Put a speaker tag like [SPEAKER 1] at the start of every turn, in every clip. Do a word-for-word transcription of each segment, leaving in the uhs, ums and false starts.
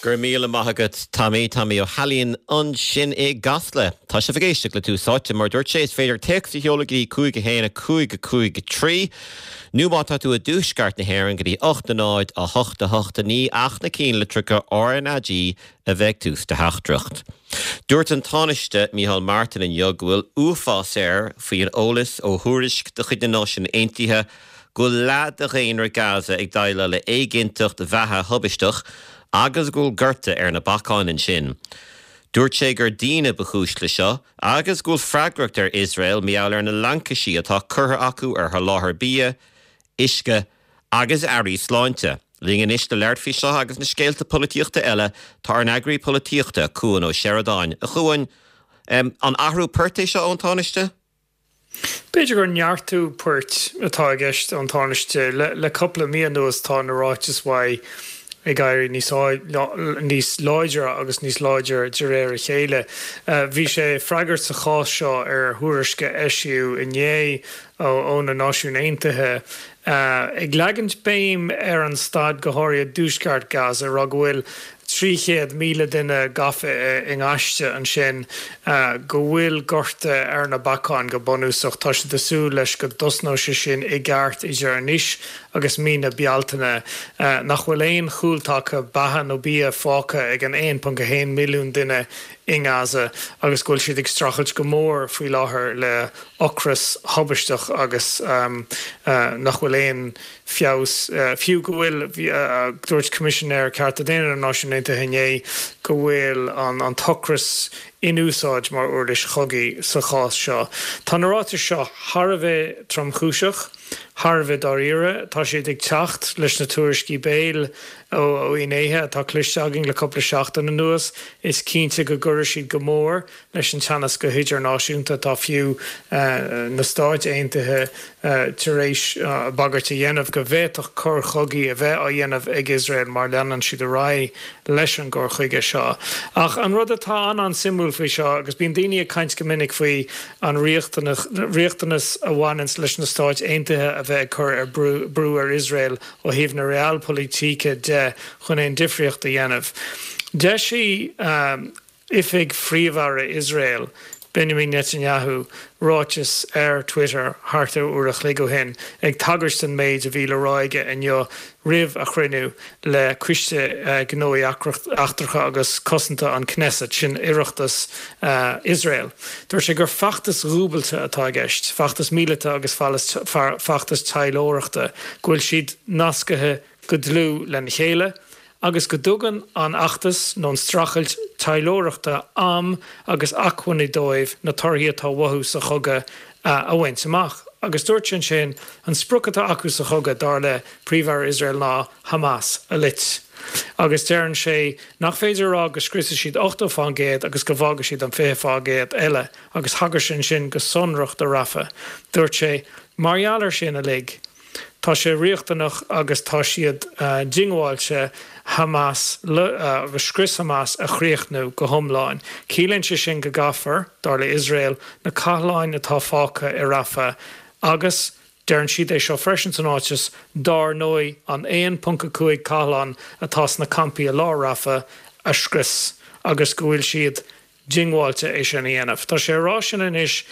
[SPEAKER 1] Go raibh míle maith agat Tommy Tommy Ó hAilín ansin i gCasla. Tá sibh ag éisteacht le Tús Áite mar dúirt sé is féidir téacs a sheoladh go dtí cúig a haon a cúig a cúig a trí. Nó má tá tú i dtuaisceart na hÉireann go dtí ocht a náid a hocht a hocht a naoi ach na cinnlitreacha RnaG a bheith ag tús do theachtaireacht. Dúirt an Tánaiste Micheál Martin inniu go bhfuil uafás air faoi an eolas ó thuairisc de chuid na Náisiún Aontaithe go bhfuil leath de dhaonra Gaza ag déileáil le éiginnteacht bheatha thubaisteach agus go bhfuil gorta ar na bacáin ansin. Dúirt sé gur daoine ba chúis le seo agus go bhfuil freagracht ar Iosrael mar gheall ar na laincisí atá curtha acu ar sholáthar bia, uisce agus earraí sláinte. Linn anois le labhairt faoi seo agus na scéalta polaitíochta eile tá ár n-eagraí polaitíochta Cuan Ó Seireadáin a Chuain um, an athrú poirt é seo ón Tánaiste?
[SPEAKER 2] B'fhéidir gur neartú poirt atá i gceist ón Tánaiste le, le cúpla mí anuas tá na ráitis uaidh ag éirí níos níos láidre agus níos láidre de réir a chéile. Bhí sé ag freagairt sa chás seo ar thuairisc a eisíodh inné ó na Náisiúin Aontaithe ag leagan béim ar an staid go háirithe i dtuaisceart Gaza rá go bhfuil trí chéad míle duine gafa i ngaiste ansin go bhfuil gorta ar na bacáin go bunúsach. Tá siad ag súil leis go dtosnóidh sé sin i gceart idir anois agus mí na Bealtaine nach bhfuil aon chúltaca beatha nó bia fágtha ag an aon ponc a haon milliún duine i nGaza agus go bhfuil siad ag streachailt go mór faoi láthair le ocras thubaisteach agus nach bhfuil aon feabhas, fiú go bhfuil, dúirt Coimisinéir Cearta Daonna na Náisiún Aontaithe inné go bhfuil an t-ocras in úsáid mar uirlis chogaidh sa chás seo. Tá na ráitis seo thar a bheith tromchúiseach, thar a bheith dáiríre. Tá siad ag teacht leis na tuairiscí béil ó fhinnéithe atá cloiste againn le cúpla seachtain anuas. Is cinnte go gcuirfidh siad go mór leis an teannas go hidirnáisiúnta. Tá fiú na Stáit Aontaithe tar éis bagairt a dhéanamh go bhféadfadh coir chogaidh a bheith á dhéanamh ag Iosrael má leanann siad ar aghaidh leis an gcur chuige seo. Ach an rud atá an-an-suimiúil faoi seo, agus bíonn daoine ag caint go minic faoi an riachtanas a bhaineanns leis na Stáit Aontaithe a bheith ag cur ar brú ar Iosrael ó thaobh na realpolitik de chun aon difríocht a dhéanamh. D'eisigh oifig Phríomh-Aire Iosrael, Benjamin Netanyahu, ráiteas ar Twitter thart ar uair a chloig ó shin ag tagairt don méid a bhí le rá aige inniu roimh a chruinniú le Coiste Gnóthaí Eachtracha agus Cosanta an Knesset, sin Oireachtas Iosrael. Dúirt sé gur feachtas dhúbailte atá i gceist, feachtas míleata agus feachtas taidhleoireachta, go bhfuil siad nascaithe go dlúth lena chéile agus go dtugann an fheachtas nó an streachailt taidhleoireachta am agus acmhainní dóibh na torthaí atá uathu sa chogadh a bhaint amach. Agus dúirt sé ansin, an sprioc atá acu sa chogadh, dar le Príomh-Aire Iosrael ná Hamas a loit. Agus deireann sé nach féidir a rá go scriosfaidh siad ochtó fán gcéad agus go bhfágfaidh siad an fiche fán gcéad eile agus thagair sé ansin go sonrach do Rafah. Dúirt sé, mar gheall air sin uilig, Tá sé riachtanach agus tá siad diongbháilte Hamas agus scrios Hamas a chríochnú go hiomlán. Ciallaíonn sé sin go gcaithfear, dar le Iosrael, na cathláin atá fágtha i Rafah agus, deireann siad é seo freisin san ráiteas, dár ndóigh, an aon ponc a cúig cathlán atá sna campaí i lár Rafah a scrios agus go bhfuil siad diongbháilte é sin a dhéanamh. Tá sé á rá sin anois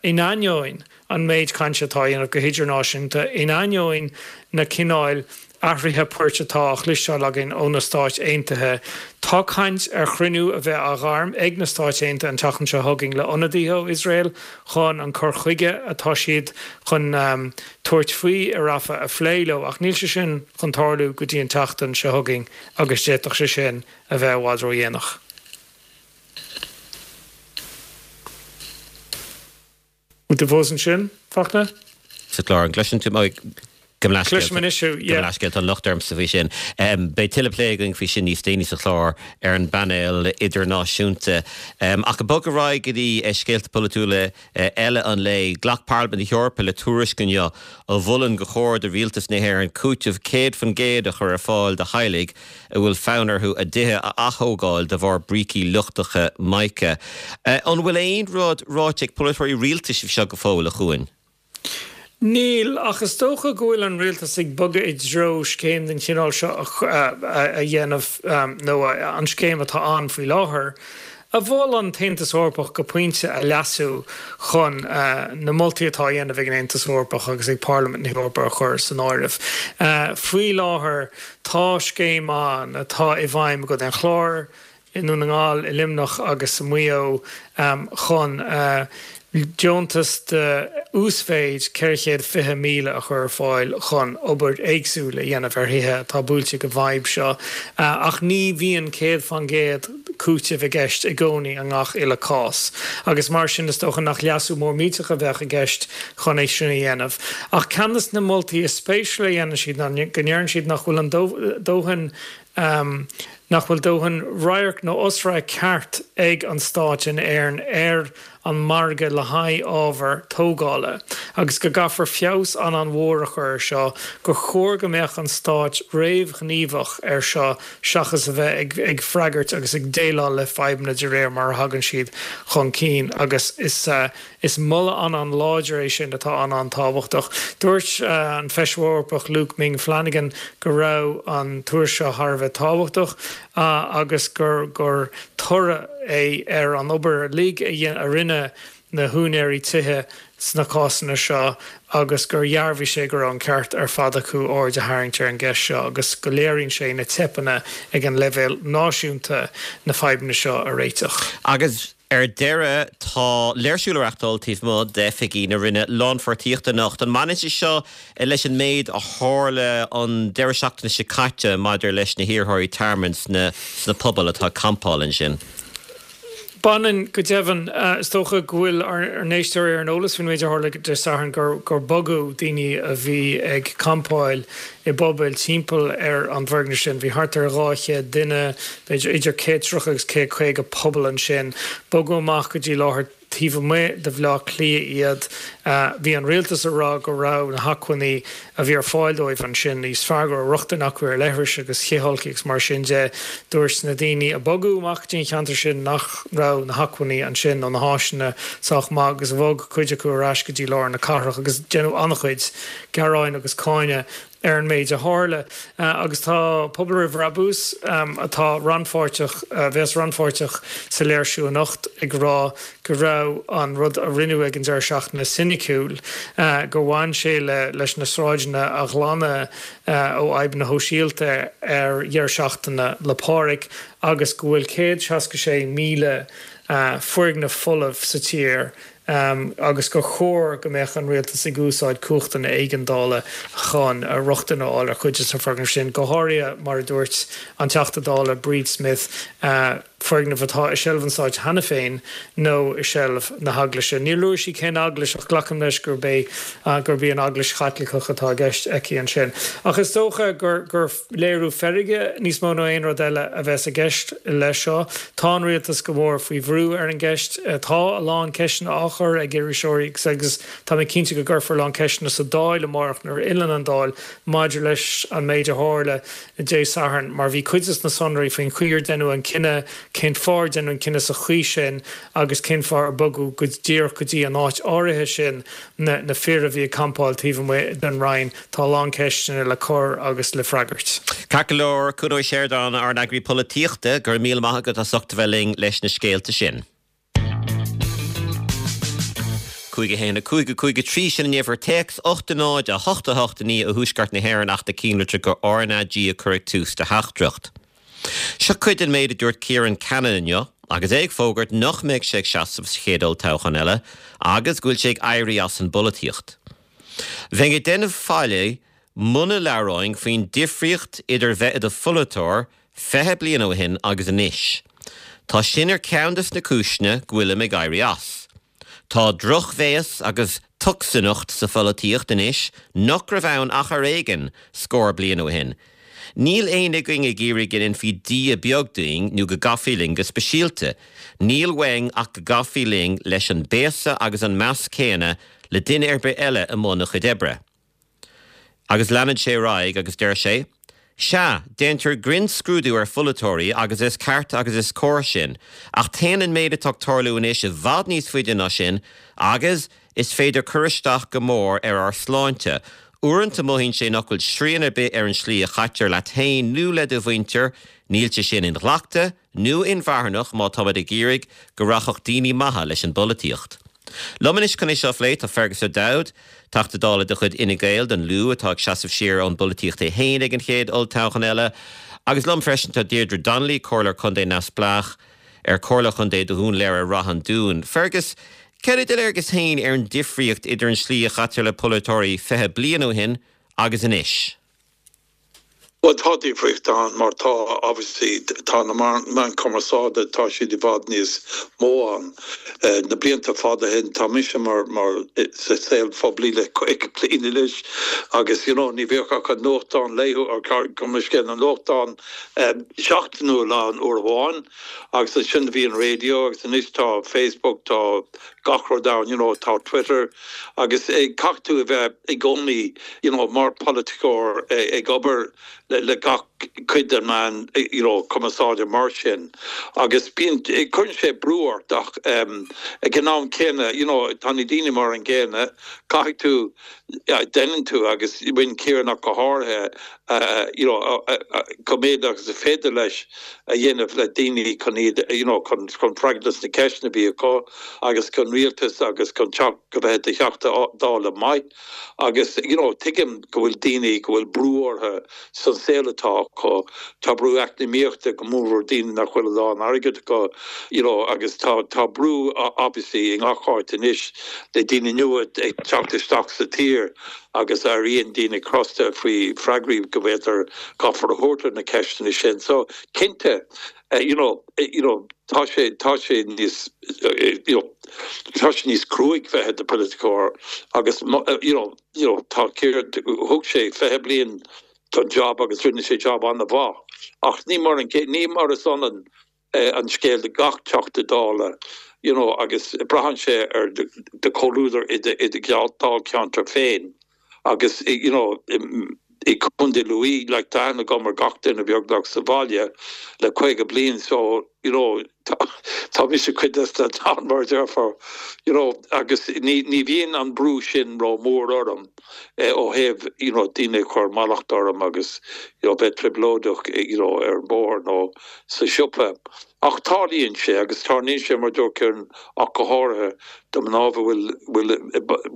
[SPEAKER 2] in ainneoin an méid cainte atá á dhéanamh go hidirnáisiúnta, in ainneoin na cineáil athraithe poirt atá á chloisteáil againn ó na Stáit Aontaithe. Tá caint ar chruinniú a bheith á ghairm ag na Stáit Aontaithe an tseachtain seo chugainn le ionadaithe ó Iosrael chun an cur chuige atá siad chun tabhairt faoi i Rafah a phlé leo, ach níl sé sin chun tarlú go dtí an tseachtain seo chugainn agus d'fhéadfadh sé sin a bheith i bhfad ródhéanach. Bhfuil tú fós ansin, Fachtna?
[SPEAKER 1] Sa chlár, an gcloiseann tú mé? Gabh mo leithscéal.
[SPEAKER 2] Cloisim anois thú, yeah.
[SPEAKER 1] Gabh mo leithscéal, tá an locht ormsa faoi sin. Beidh tuilleadh plé againn faoi sin níos déanaí sa chlár ar an bpainéal idirnáisiúnta. Ach ag bogadh ar aghaidh go dtí scéalta polaitiúla eile an lae, ghlac Parlaimint na hEorpa le tuairisc inniu a mholann gur chóir do rialtas na hÉireann cúiteamh céad faoin gcéad a chur ar fáil do theaghlaigh a bhfuil fonn orthu a dtithe a ath-thógáil de bharr brící lochtacha mica. An bhfuil aon rud ráite ag polaiteoirí rialtais faoi seo go fóill, a Chuain?
[SPEAKER 2] Níl, ach is dócha go bhfuil an rialtas ag bogadh i dtreo scéim den chineál seo a dhéanamh nó an scéim atá ann faoi láthair, a mhol an tAontas Eorpach go pointe a leasú chun na moltaí atá á dhéanamh ag an Aontas Eorpach agus ag Parlaimint na hEorpa a chur san áireamh. Faoi láthair tá scéim ann atá i bhfeidhm i gContae an Chláir, i nDún na nGall, i Luimneach agus i Maigh Eo chun deontas de uasmhéid ceithre chéad fiche míle a chur ar fáil chun obair éagsúil a dhéanamh ar thithe atá buailte ag an bhfadhb seo. Ach ní bhíonn céad faoin gcéad cúiteamh i gceist i gcónaí i ngach uile cás agus mar sin is dócha nach leasú mór millteach a bheadh i gceist chun é sin a dhéanamh. Ach ceann de na moltaí is spéisiúla a dhéanann siad ná go ndeireann siad nach bhfuil an dóthain nach bhfuil dóthain radharc nó osradharc ceart ag an Stát in Éirinn ar an margadh le haghaidh ábhar tógála agus go gcaithfear feabhas an-an-mhór a chur ar seo, gur chóir go mbeadh an Stát réamhghníomhach ar seo seachas a bheith ag ag freagairt agus ag déileáil le fadhbanna de réir mar a thagann siad chun cinn agus is Is moladh an-an-láidir é sin atá an-an-tábhachtach. Dúirt an Feisire Eorpach Luke Ming Flanagan go raibh an tuairisc seo thar a bheith tábhachtach agus gur gur toradh é ar an obair uilig a rinne na húinéirí tithe sna cásanna seo agus gur dhearbhaigh sé go raibh an ceart ar fad acu aird a tharraingt ar an gceist seo agus go léiríonn sé na teipeanna ag an leibhéal náisiúnta na fadhbanna seo a réiteach.
[SPEAKER 1] Agus ar deireadh, tá léirsiú le reachtáil taobh amuigh d'oifigí na Roinne Lánpháirtíochta anocht. An mbaineann sé seo leis an méid a tharla an deireadh seachtaine seo caite maidir leis na hiarrthóirí tearmainn sna pobail atá ag campáil ansin?
[SPEAKER 2] Baineann, go deimhin. Is dócha go bhfuil ár n-éisteoirí ar an eolas faoin méid a tharla Dé Sathairn, gur bogadh daoine a bhí ag campáil i bpubaill timpeall ar an bhfoirgneamh sin. Bhí thart ar dhá chéad duine, b'fhéidir idir céad tríocha agus céad caoga puball ansin. Bogadh amach go dtí láthair taobh amuigh de Bhaile Átha Cliath iad. Bhí an rialtas ag rá go raibh na hacmhainní a bhí ar fáil dóibh ansin níos fearr, go raibh rochtain acu ar leithris agus cithfholcthaí agus mar sin de. Dúirt na daoine a bogadh amach go dtí an cheantar sin nach raibh na hacmhainní ansin nó na háiseanna sách maith agus bhog cuid acu ar ais go dtí lár na cathrach agus deineadh an-chuid gearáin agus cáineadh ar an méid a tharla agus tá Pobal Roimh Bhrabús, atá rannpháirteach, a bheas rannpháirteach sa léirsiú anocht, ag rá go raibh an rud a rinneadh ag an deireadh seachtaine soiniciúil, gur bhain sé le leis na sráideanna a ghlanadh ó fhadhbanna shóisialta ar dheireadh seachtaine 'le Pádraig agus go bhfuil céad seasca sé míle foirgneamh folamh sa tír agus gur chóir go mbeadh an rialtas ag úsáid cumhachtanna éigeandála chun rochtain a fháil ar chuid de na foirgnimh sin, go háirithe, mar a dúirt an Teachta Dála Bríd Smith, foirgnimh atá i seilbh an stáit cheana féin nó i seilbh na hEaglaise. Níor luaigh sí cén eaglais ach glacaim leis gurb é gurb í an Eaglais Chaitliceach atá i gceist aici ansin. Ach is dócha gur gur léiriú feirge níos mó ná aon rud eile a bheas i gceist leis seo. Tá an rialtas go mór faoi bhrú ar an gceist. Tá a lán ceisteanna á chur ag iriseoirí agus tá mé cinnte go gcuirfear a lán ceisteanna sa Dáil amárach nuair a fhilleann an Dáil maidir leis an méid a tharla Dé Sathairn mar bhí cuid de na sonraí faoin chaoi ar deineadh an cinneadh, cén fáth ar deineadh an cinneadh sa chaoi sin agus cén fáth ar bogadh go díreach go dtí an áit áirithe sin na fir a bhí ag campáil taobh amuigh den Roinn. Tá a lán ceisteanna le cur agus le freagairt.
[SPEAKER 1] Ceart go leor, Cuan Ó Seireadáin, ár n-eagraí polaitíochta, go raibh míle maith agat as ucht a bheith linn leis na scéalta sin. cúig a haon a cúig a cúig a trí sin an uimhir téacs, ocht a náid a hocht a hocht a naoi ó thuaisceart na hÉireann ach na cinnlitriú go RnaG a chur ag tús do theachtaireacht. Seo cuid den méid a dúirt Ciarán Cannon inniu agus é ag fógairt nach mbeidh sé ag seasamh sa chéad olltoghchán eile agus go bhfuil sé ag éirí as an bpolaitíocht. Bheinn ag déanamh faillí muna labhróinn faoin difríocht idir bheith i do pholaiteoir fiche bliain ó shin agus anois. Tá sin ar cheann des na cúiseanna go bhfuilim ag éirí as. Tá drochbhéas agus tocsaineacht sa pholaitíocht anois nach raibh ann ach ar éigean scór bliain ó shin. Níl éinne againn ag iarraidh go ndéanfaí dia beag dínn nó go gcaithfí linn go speisialta. Níl uainn ach go gcaithfí linn leis an mbéasa agus an meas céanna le duine ar bith eile i mbun a chuid oibre. Agus leanann sé ar aghaidh agus deir sé, Sea, déantar grinnscrúdú ar pholaiteoirí agus is ceart agus is cóir sin, ach téann an méid atá ag tarlú anois i bhfad níos faide ná sin agus is féidir cur isteach go mór ar ár sláinte. Uaireanta mothaíonn sé nach bhfuil srian ar bith ar an slí a chaitear leat féin nó le do mhuintir, níl sé sin inghlactha nó inmharthanach má táimid ag iarraidh go rachadh daoine maithe leis an bpolaitíocht. Liom anois chun é seo a phlé tá Fergus O'Dowd, Teachta Dála de chuid Fhine Gael don Lú atá ag seasamh siar ón bpolaitíocht é féin ag an chéad olltoghchán eile, agus liom freisin tá Deirdre Donnelly, Comhairleoir Contae Neamhspleách ar Chomhairle Chontae do Dhún Laoghaire Rath an Dúin. Fergus, céard é do léargas féin ar an difríocht idir an slí a chaitear le polaiteoirí fiche bliain ó shin agus anois?
[SPEAKER 3] Bhuel tá difríocht ann mar tá obviously tá na meáin cumarsáide tá siad i bhfad níos mó ann. Na blianta fada ó shin tá mise mar mar sa saol phoiblí le caoga bliain anois agus you know ní bheadh ach an nuachtán laethúil or gabh mo leithscéal an nuachtán seachtainiúil ann uair amháin agus ansin bhí an raidió agus anois tá Facebook tá gach rud ann you know tá Twitter agus caithfidh tú a bheith i gcónaí you know mar polaiteoir ag obair le, le gach cuid den meán you know cumarsáide mar sin agus bíonn cuireann sé brú ort ach um, ag an am céanna you know tá na daoine mar an gcéanna caithfidh tú déanann tú agus bhain Ciarán ach go háirithe uh, you know uh, uh, go méid agus is féidir leis a dhéanamh le daoine chun iad you know chun chun freagairt na ceisteanna a bhí acu agus chun rialtas agus chun teacht go bheith i do Theachta Dála maith agus you know tuigim go bhfuil daoine go bhfuil brú orthu san saol atá acu tá brú eacnamaíochta go mór daoine nach bhfuil a lán airgead acu you know agus tá tá brú obviously i ngach áit anois le daoine nua ag teacht isteach sa tír agus éiríonn daoine crosta faoi freagraí go bhféadfar caithfear a thabhairt ar na ceisteanna sin so cinnte uh, you know you know tá sé tá sé níos uh, you know tá sé níos cruaidh bheith i do pholaiteoir agus you know you know tá thug sé fiche bliain don job agus rinne sé job an-mhaith ach ní mar an ní mar is ionann an scéal do gach Teachta Dála you know agus braitheann sé ar do chomhluadar i i do Dháilcheantar féin agus you know i Contae Lú le tá aithne agam ar gach duine beagnach sa bhaile le caoga bliain so you know tá mise cuid de an mar déarfá you know agus ní ní bhíonn an brú sin ró mór orm eh, ó thaobh you know daoine chur mallacht orm agus you know bheith trioblóideach you know ar bóthar nó sa siopa ach tarlaíonn sé agus tarlaíonn sé mar dúirt ach go háirithe do mná a bhfuil bhfuil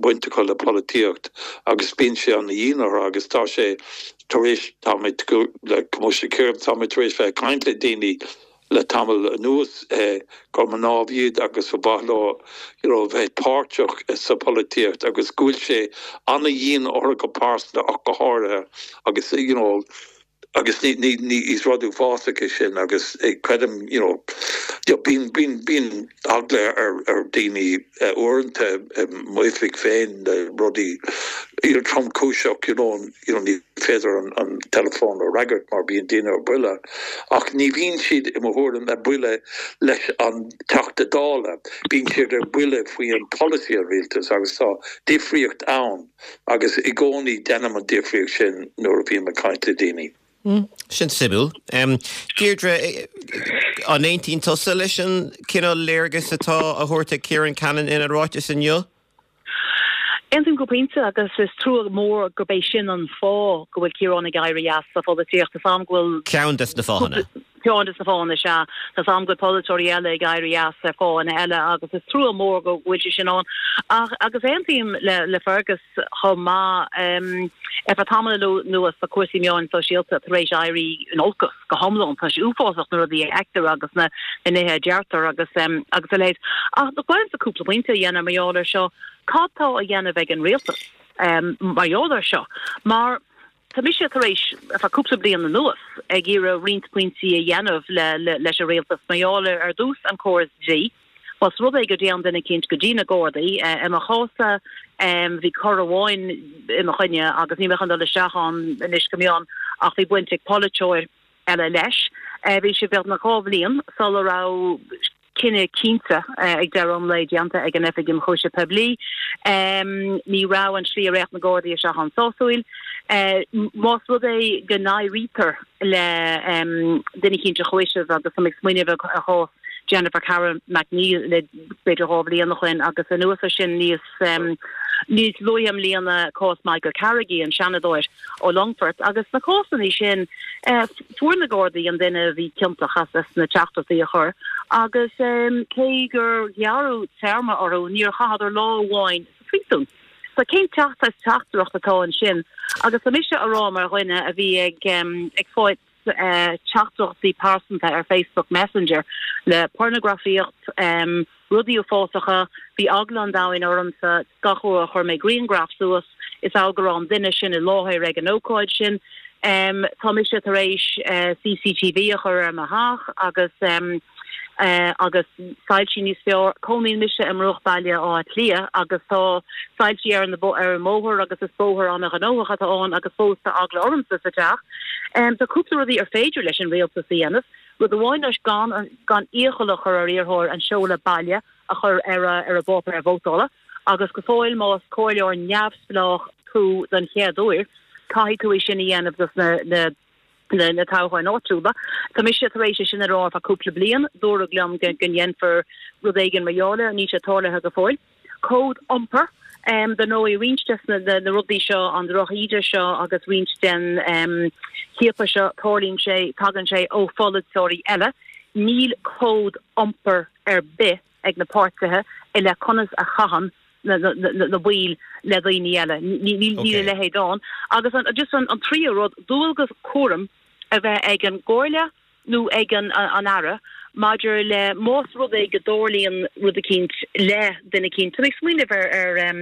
[SPEAKER 3] baint acu le polaitíocht agus bíonn sé an-dhian orthu agus tá sé tar éis tá le tá tar éis bheith caint le daoine le tamall anuas eh, gur mná iad agus ba mhaith leo you know, bheith páirteach sa polaitíocht agus go bhfuil sé an-dhian orthu go pearsanta ach go háirithe agus you know, agus ní ní ní is rud uafásach é sin agus eh, creidim you know, bíonn bíonn bíonn eagla ar ar daoine uh, uaireanta m'oifig féin de rudaí tromchúiseach you know, you know, ní féidir an, an telefón a fhreagairt mar bíonn daoine ar buile ach ní bhíonn siad i mo thuairim ar buile leis an Teachta Dála bíonn siad ar buile faoi an policy an rialtas agus tá difríocht ann agus i gcónaí déanaim an difríocht sin nuair a bhím ag caint le daoine.
[SPEAKER 1] Mm, sin suimiúil. Um, Deirdre, an aontaíonn tusa leis an cineál léargas atá á thabhairt ag Ciarán Cannon ina ráiteas inniu?
[SPEAKER 4] Aontaím go pointe agus is trua mór gurb é sin an fáth go bhfuil Ciarán ag éirí as sa pholaitíocht is am go bhfuil
[SPEAKER 1] Ceann des na fáthanna.
[SPEAKER 4] Ceann des na fáthanna sea Tá am go polaiteoirí eile ag éirí as ar fáthanna eile agus is trua mór go bhfuil sé sin ann ach agus aontaím le le Fergus chomh maith um, ar feadh tamall anuas tá cúrsaí meáin sóisialta tar éis éirí in olcas go hiomlán tá sé uafásach na rudaí a fheictear agus na na nithe a deirtear agus um, agus a leithéid. Ach do chuir sa cúpla pointe a dhéanamh mar gheall air seo cad tá á dhéanamh ag an rialtas um, mar gheall air seo mar Tá mise tar éis ar feadh cúpla bliain anuas ag iarraidh roinnt pointí a dhéanamh le, le, leis an rialtas mar gheall ar dtús an córas dlí. Was rud é go dtéann duine eicínt go dtí na Gardaí uh, i mo chás-sa um, bhí cor amháin i mo choinne agus ní chun dul isteach ann anois go mion ach bhí baint ag polaiteoir eile leis. Uh, bhí sé beagnach dhá bhliain sula raibh cinneadh cinnte uh, ag deireadh an lae déanta ag an Oifig Ionchúiseamh Poiblí. Um, ní raibh an slí ar réiteach na Gardaí seo an-sásúil. Uh, más rud é go n-éirítear le um, duine eicínt a chúiseamh agus ag smaoineamh ar chás Jennifer Carroll MacNeill le b'fhéidir dhá bhliain ó shin agus anuas air sin níos um, níos luaithe i mbliana cás Michael Carrigy an seanadóir ó Longfort agus na cásanna sin uh, fuair na Gardaí an duine a bhí ciontach as as na teachtaireachtaí a chur agus um, cé gur gearradh téarma orthu níor chaitheadar lá amháin sa phríosún. So cén teacht as teachtaireacht atá ansin agus tá mise á rá mar dhuine a bhí ag um, ag fáil uh, teachtaireachtaí pearsanta ar Facebook Messenger le pornagrafaíocht um, rudaí uafásacha bhí eagla an domhain ormsa gach uair a chuir mé grianghraf suas is go raibh an duine sin i láthair ag an ócáid sin. Um, tá mise tar éis uh, CCTV a chur ar mo theach agus um, uh, agus soilse níos fearr cónaíonn mise i mbruachbhaile Átha Cliath agus tá soilse ar an ar an mbóthar agus is bóthar an-ghnóthach atá ann agus fós tá eagla ormsa sa teach. Um, tá cúpla rudaí ar féidir leis an rialtas a dhéanamh, rud amháin ná gan gan iachall a chur ar iarrthóir an seoladh baile a chur ar a, ar a bpáipéar vótála, agus go fóill más comhairleoir neamhspleách tú den chéad uair, caithfidh tú é sin a dhéanamh dos na, na na na toghcháin áitiúla. Tá mise tar éis sin a rá le cúpla bliain, dúradh liom go ndéanfar rud éigin mar gheall air níl sé tarlaithe go fóill. Cód iompair um, de nó i roinnt des na, na, na rudaí seo an drochíde seo agus roinnt den um, chiapadh seo tarlaíonn sé tagann sé ó pholaiteoirí eile, níl cód iompair ar bith ag na páirtithe i leith conas a chaitheann na, na, na, na baill le daoine eile níl okay. leithéid ann agus an, just an, an tríú rud dualgas cúram a bheith ag an gcomhairle nó ag an, an, an aire maidir le más rud é go dtarlaíonn rud eicínt le duine eicínt. Tá mé smaoineamh ar ar um,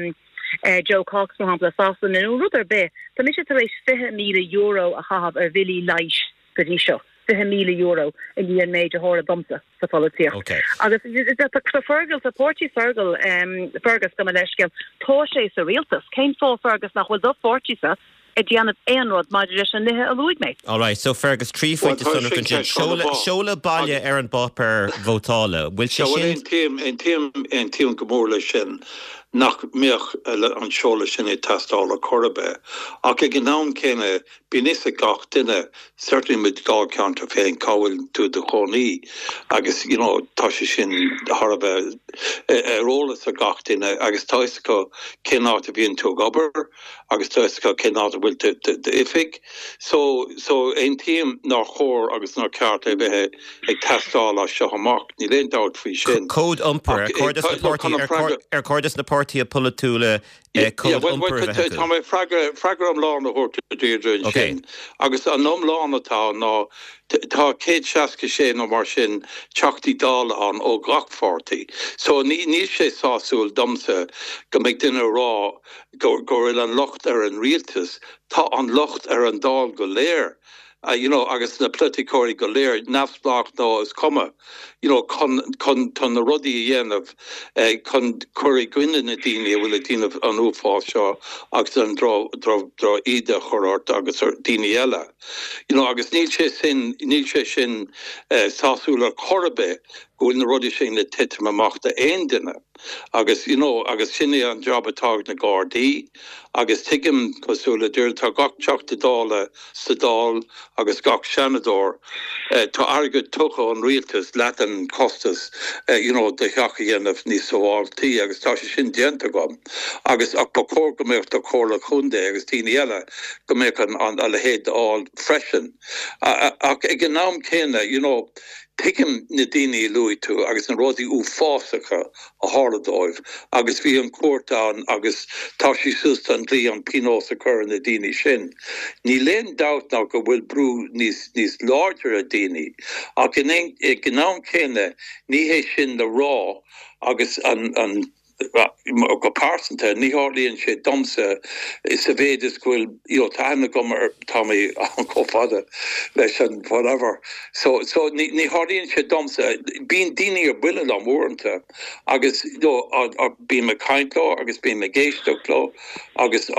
[SPEAKER 4] uh, Jo Cox mar shampla Sasana nó rud ar bith, Tá mise tar éis fiche míle euro a chaitheamh ar bhillí leighis go dtí seo. fiche míle euro i ndiaidh an méid a tharla domsa sa pholaitíocht.
[SPEAKER 1] Okay.
[SPEAKER 4] Agus tá Fergal sa pháirtí Fergal um, Fergus go leiscéal tá sé sa rialtas, cén fáth Fergus nach bhfuil do pháirtísa ag déanamh aon rud maidir leis an nithe a luaigh mé.
[SPEAKER 1] All right, so Fergus trí phointe seoladh baile ar an bpáipéar vótála. Bhfuil sé sin
[SPEAKER 3] Aontaím aontaím go mór leis sin nach mbeadh an seoladh sin ag teastáil ar chor ar bith. Ach ag an am céanna bíonn a fhios ag gach duine certainly i do dháilcheantar féin cá bhfuil tú i do chónaí agus you know, tá sé sin thar a bheith ar eolas ag gach duine agus tá a fhios acu cén áit a bhíonn tú ag obair agus tá a fhios acu cén áit a bhfuil d'oifig. So so aontaím nár chóir agus nár cheart é bheith ag teastáil as seo amach, níl aon dabht faoi sin.
[SPEAKER 1] Cód iompair ar chóir dos na páirtithe polaitiúla
[SPEAKER 3] Tá mé freagra iomlán a thabhairt duit sin. Agus an iomlán atá ná tá céad seasca sé nó mar sin teachtaí Dála ann ó gach pháirtí. So ní níl sé sásúil domsa go mbeidh duine ag rá go go bhfuil an locht ar an rialtas, tá an locht ar an Dáil go léir. Uh, you know, agus na polaiteoirí go léir neamhspleách nó is cuma you know, chun chun chun na rudaí a dhéanamh eh, chun cur i gcoinne na daoine a bhfuil ag déanamh an uafás seo agus an drochíde a chur ort agus ar daoine eile. You know, agus níl sé sin níl sé sin eh, sásúil ar chor ar bith go bhfuil na rudaí sin le titim amach d'aon duine. Agus you know, agus sin é an job atá ag na Gardaí, agus tuigim cosúil le dúir tá gach teachta Dála sa Dáil agus gach seanadóir eh, tá airgead tugtha ón rialtas leat an costas eh, you know, do theach a dhéanamh níos sábháilte agus tá sé sin déanta agam. Agus ach ba chóir go mbeadh do chomhairle contae agus daoine eile go mbeadh an an a leithéid á freisin. Ach ag an am céanna, you know, tuigim na daoine a luaigh tú agus na rudaí uafásacha a tharla dóibh agus bhí an cúirt ann agus tá sé suas an dlí an pionós a chur ar na daoine sin. Níl aon dabht ná go bhfuil brú níos níos láidre ar daoine ach in ag an am céanna ní hé sin le rá agus an an go pearsanta ní tharlaíonn sé domsa is a mhéid is go bhfuil tá go tá mé an chomh fada leis an whatever. So so ní ní tharlaíonn sé domsa bíonn daoine ar buile liom uaireanta agus bím ag caint leo agus bím ag éisteacht leo agus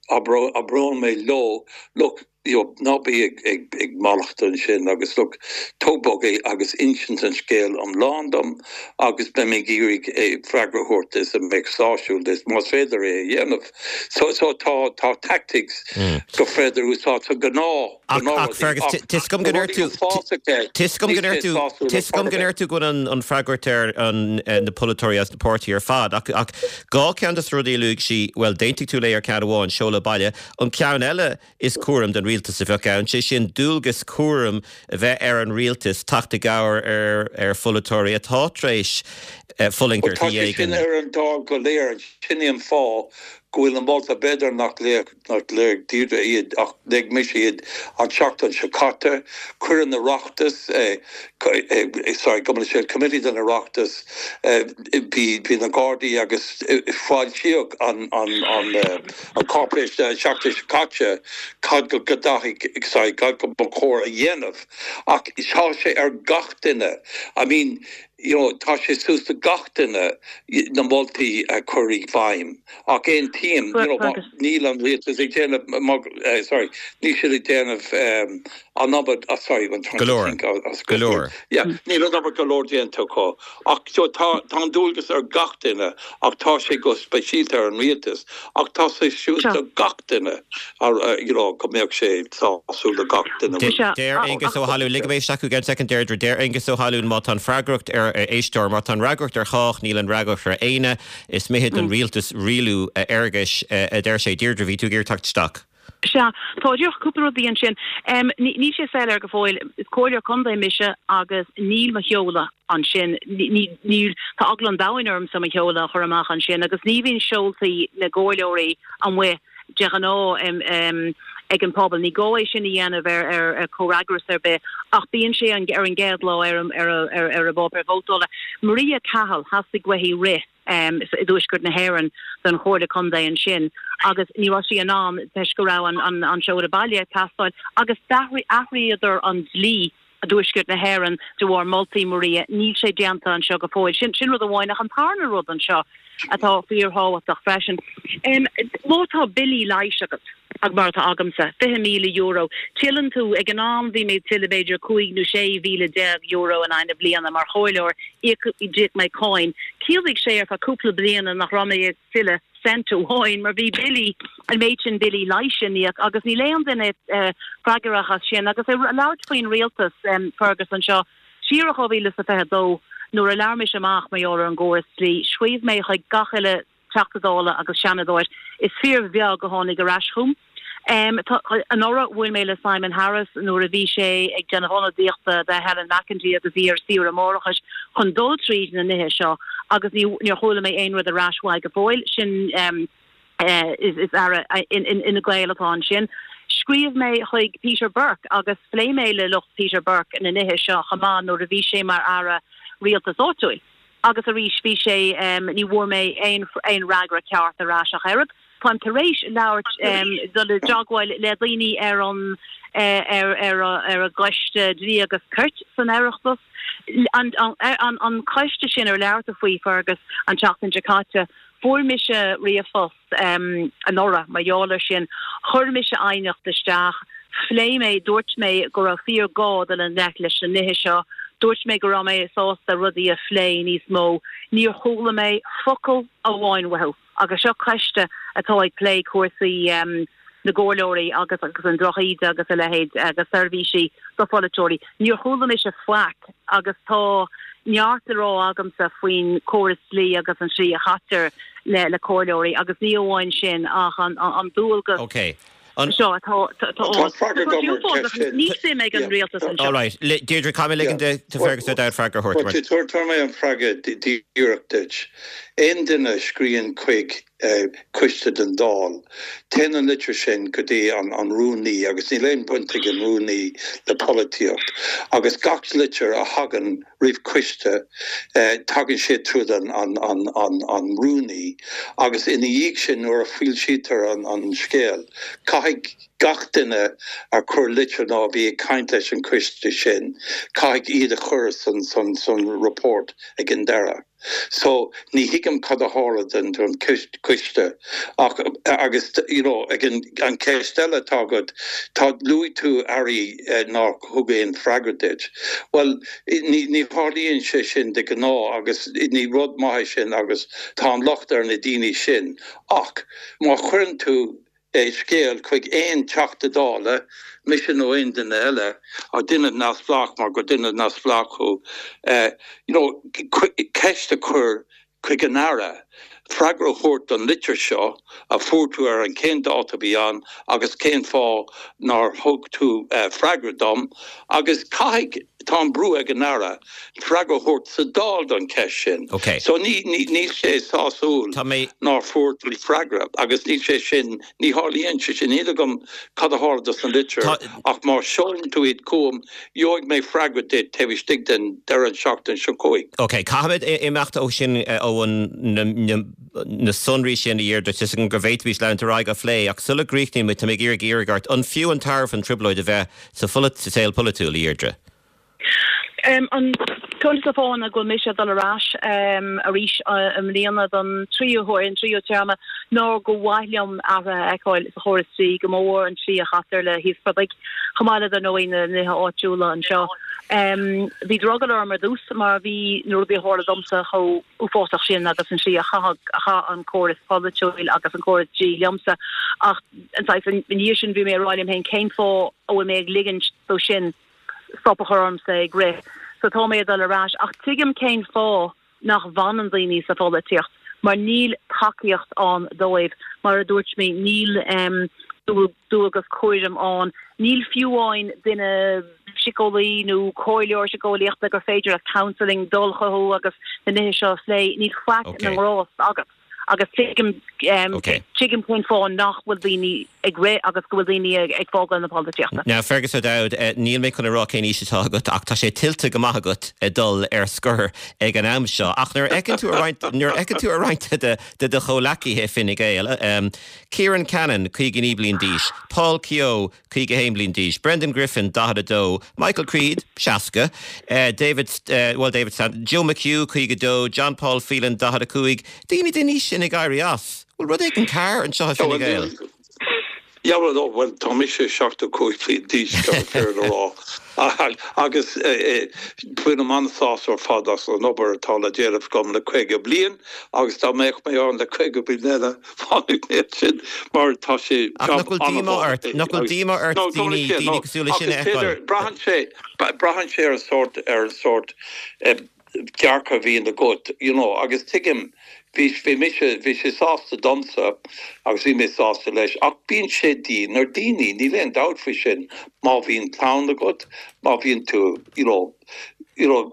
[SPEAKER 3] abrón mé leo look you know, ná bí ag, ag, ag mallacht ansin agus look, tóg bog é agus insint an scéal iomlán dom agus beidh mé ag iarraidh é freagra a thabhairt is a mbeidh sásúil duit más féidir é a dhéanamh. So, so tá tá tactics mm. go féidir úsáid so gnáth
[SPEAKER 1] Ach Fergus Tis go ndeir tú Tis go ndeir tú Tis go ndeir tú go an an fhreagracht ar an eh, na polaiteoirí as na páirtithe ar fad ach ach dhá cheann de na rudaí a luaigh sí well d'aontaigh tú léi ar ceann amháin seoladh baile an ceann eile is cúram den rialtas a bheadh ann sé sin dualgas cúram a bheith ar an rialtas teacht i gcabhair ar ar pholaiteoirí atá tar éis eh, fulaingt ar
[SPEAKER 3] Tá sé sin
[SPEAKER 1] éigin.
[SPEAKER 3] ar an Dáil go léir sin é an fáth go bhfuil an molta b'fhéidir nach léigh nach léigh Deirdre iad ach léigh mise iad an tseachtain seo caite chuir an Oireachtas eh, eh, eh, sorry go sé committee den Oireachtas eh, bhí bhí na Gardaí agus eh, foilsíodh an an an eh, an cáipéis an tseachtain seo caite cad go gcaithfidh sorry cad go ba chóir a dhéanamh ach tá sé ar gach duine I mean you know, tá sé suas do gach duine na moltaí a chur i bhfeidhm ach aontaím you know,
[SPEAKER 4] Fergus.
[SPEAKER 3] níl an rialtas ag déanamh eh, sorry níl siad ag déanamh um, an obair ah, sorry I'm trying to
[SPEAKER 1] Go leor.
[SPEAKER 3] think, uh, uh,
[SPEAKER 1] Go leor.
[SPEAKER 3] Yeah, níl an obair go leor déanta acu ach so tá tá an dualgas ar gach duine ach tá sé go speisialta ar an rialtas ach tá sé suas
[SPEAKER 4] Sure.
[SPEAKER 3] do gach duine ar uh, you know, go mbeadh sé sásúil do gach duine.
[SPEAKER 1] De-
[SPEAKER 4] Sea,
[SPEAKER 1] Deir
[SPEAKER 4] ach-
[SPEAKER 1] Aengus
[SPEAKER 4] ach-
[SPEAKER 1] Ó hAlú ligfidh mé isteach go second Deirdre deir Aengus Ó hAlún má tá an fhreagracht ar ar éisteoir má tá an fhreagracht ar chách níl an fhreagracht ar éinne is mithid don rialtas rialú a Fhergus a deir sé Deirdre bhí tú ag teacht isteach.
[SPEAKER 4] Sea tá díreach cúpla rudaí ansin. Um, ní sé soiléir go fóill is comhairleoir contae mise agus níl mo sheoladh ansin níl tá eagla an domhain orm sa mo sheoladh a chur amach ansin agus ní bhíonn seoltaí na gcomhairleoirí amuigh de ghnáth um, um, ag an pobal ní gá é sin a dhéanamh ar ar ar comhfhreagras ar bith ach bíonn sé an ar an gcéad lá ar ar ar ar a bpáipéar vótála. Maria Cahill theastaigh uaithi rith um, i dtuaisceart na hÉireann don chomhairle contae ansin agus ní raibh sí in ann toisc go raibh an, an, an seoladh baile ag teastáil agus d'athraíodar an dlí i dtuaisceart na hÉireann de bharr moltaí Maria níl sé déanta anseo go fóill sin sin rud amháin ach an tarna rud anseo atá fíorthábhachtach freisin. Um, má tá billí leighis agat ag mar atá agamsa fiche míle euro. Tuilleann tú ag an am bhí mé tuille b'fhéidir cúig nó sé mhíle déag euro in aghaidh na bliana mar chomhairleoir d'íoc mé cáin. Chiallaigh sé ar feadh cúpla bliana nach raibh mé ag tuilleadh cent amháin mar bhí billí an méid sin billí leighis íoc agus níl aon duine uh, freagrach as sin agus é labhairt faoin rialtas um, Fergus anseo siar dhá mhíle is a fiche dó nuair a labhair mise amach mar gheall ar an gcóras dlí scríobh mé chuig gach uile Teachta Dála agus Seanadóir is fíorbheag a tháinig ar ais chugam. Um, anuraidh bhuail mé le Simon Harris nuair a bhí sé ag déanamh ionadaíochta do Helen McEntee agus bhí ar saoire máithreachais chun dul tríd na nithe seo agus níor chuala mé aon rud ar ais uaidh go fóill sin um, uh, is, is aire in, in, in Fhine Gael atá ansin. Scríobh mé chuig Peter Burke agus phléigh mé le lucht Peter Burke na nithe seo chomh maith nuair a bhí sé mar aire rialtais áitiúil. Agus arís bhí sé um, ní bhfuair mé aon aon fhreagra ceart ar ais ach oiread. Táim tar éis labhairt um, dul i dteagmháil le daoine ar an uh, ar ar ar a gcoiste dlí agus cirt san Oireachtas. An, an, an, an coiste sin ar labhair tú faoi Fergus an tseachtain seo caite fuair mise ríomhphost um, anuraidh mar gheall air sin chuir mise aighneacht isteach, phléigh mé dúirt mé go raibh fíorghá dul i ngleic leis na nithe seo, dúirt mé go raibh mé sásta rudaí a phlé níos mó, níor chuala mé focal amháin uathu. agus seo coiste atá ag plé cúrsaí um, na gcomhairleoirí agus agus an drochíde agus a leithéid agus seirbhísí do pholaiteoirí. Níor chuala mise faic agus tá neart le rá agamsa faoin córas dlí agus an slí a chaitear le le comhairleoirí agus ní amháin sin ach an, an, an dualgas
[SPEAKER 1] Okay. An
[SPEAKER 4] seo atá ní suim ag an rialtas
[SPEAKER 1] All right. Deirdre caithfidh mé ligean do Fergus Ó Dowd freagra a thabhairt.
[SPEAKER 3] Tabharfaidh mé an freagra díreach duit. Aon duine a scríobhann chuig uh, coiste den Dáil. Téann an litir sin go dtí an, an rúnaí agus níl aon baint ag an rúnaí le polaitíocht. Agus gach litir a thagann roimh coiste uh, tagann sé tríd an, an, an, an, an rúnaí agus ina dhiaidh sin nuair a foilsítear an, an scéal. Caithfidh Gach duine a chuir litir nó a bhí ag caint leis an coiste sin, caithfidh iad a chur san san san report ag an deireadh. So ní thuigim cad a tharla den don coiste ach agus you know ag an an ceist eile atá agat tá luaigh tú airí eh, nár thug aon freagra duit. Well ní ní tharlaíonn sé sin de ghnáth agus ní rud maith sin agus tá an locht ar na daoine sin ach má chuireann tú é scéal chuig aon Teachta Dála, mise nó aon duine eile, a duine neamhspleách mar gur duine neamhspleách thú, eh, you know, ceist a chur chuig an Aire, freagra a thabhairt don litir seo a fuair tú ar an cén dáta a bhí ann agus cén fáth nár thug tú eh, freagra dom agus caithfidh tá an brú ag an Aire freagra a thabhairt sa Dáil don cheist sin.
[SPEAKER 1] Okay.
[SPEAKER 3] So ní ní níl sé sásúil
[SPEAKER 1] Tá mé
[SPEAKER 3] nár fuair tú freagra agus níl sé sin ní tharlaíonn sé sin níl agam cad a tharla dos na litir
[SPEAKER 1] Tá-
[SPEAKER 3] ach má sheolann tú iad chugam gheobhaidh mé freagra duit taobh istigh den deireadh an seachtain seo chugainn.
[SPEAKER 1] Ok, caithfimid imeacht ó sin eh, ó an na, na, na sonraí sin a Dheirdre go bhféadfaimis leanúint ar aghaidh á phlé ach sula gcríochnaíonn muid tá mé ag iarraidh iarraidh ort an fiú an tairbhe an trioblóid a bheith sa pholit sa saol polaitiúil a Dheirdre.
[SPEAKER 4] Um, an ceann de na fáthanna go bhfuil mise dul ar ais um, arís uh, i mbliana don tríú huair an tríú téarma ná gur mhaith liom athrú a fheiceáil sa chóras dlí go mór an tslí a chaitear le híospartaigh chomh maith le dar ndóigh na nithe áitiúla anseo. Um, bhí drogall orm ar dtús mar bhí na rudaí a tharla domsa chomh uafásach sin agus an slí a chaith an córas polaitiúil agus an córas dlí liomsa ach an ní sin bhí mé ag rá liom féin cén fáth a bhfuil mé ag ligint dó sin stop a chur ormsa ag rith. So tá mé dul ar ais ach tuigim cén fáth nach bhfanann daoine sa pholaitíocht, mar níl tacaíocht ann dóibh mar a dúirt mé níl um, dualgas cúraim ann, níl fiú amháin duine síceolaí nó comhairleoir síceolaíochta gur féidir a counseling dul chucu agus na nithe seo le níl faic
[SPEAKER 1] Okay.
[SPEAKER 4] na ngrás agat. agus tuigim um,
[SPEAKER 1] Okay.
[SPEAKER 4] tuigim cén fáth nach bhfuil daoine ag rith agus go bhfuil daoine ag, ag fágáil na polaitíochta.
[SPEAKER 1] Now Fergus O'Dowd eh, níl mé chun a rá cén aois atá agat ach tá sé tuillte go maith agat ag dul ar scor ag an am seo. Ach nuair a fheiceann tú nuair a fheiceann tú a roinnt de de do chomhghleacaithe Fine Gael. Um, Kieran Cannon caoga naoi bliain d'aois, Paul Kehoe caoga haon bliain d'aois, Brendan Griffin daichead a dó, Michael Creed seasca, uh, David uh, well David Sand, Joe McHugh caoga dó, John Paul Phelan daichead a cúig, daoine den aois sin ag éirí as. Bhfuil rud éigin cearr anseo Fine Gael.
[SPEAKER 3] Ja well, no, well tá mise seachtó cúig bliain d'aois fé rá. Agus bhain mé an-sásamh ar fad as an obair atá le déanamh agam le caoga bliain agus dá mbeadh mé ann le caoga bliain eile fanfaidh mé sin mar tá sé
[SPEAKER 1] Ach nach bhfuil díomá ort nach bhfuil díomá ort daoine daoine cosúil leis sin a fheiceáil.
[SPEAKER 3] Braitheann sé braitheann sé ar an sórt ar an sórt dearcadh a bhíonn agat you know, agus tuigim bhí bhí mise bhí sé sásta domsa agus bhí mé sásta leis ach bíonn sé dian ar daoine níl aon dabht faoi sin má bhíonn clann agat má bhíonn tú you know, you know,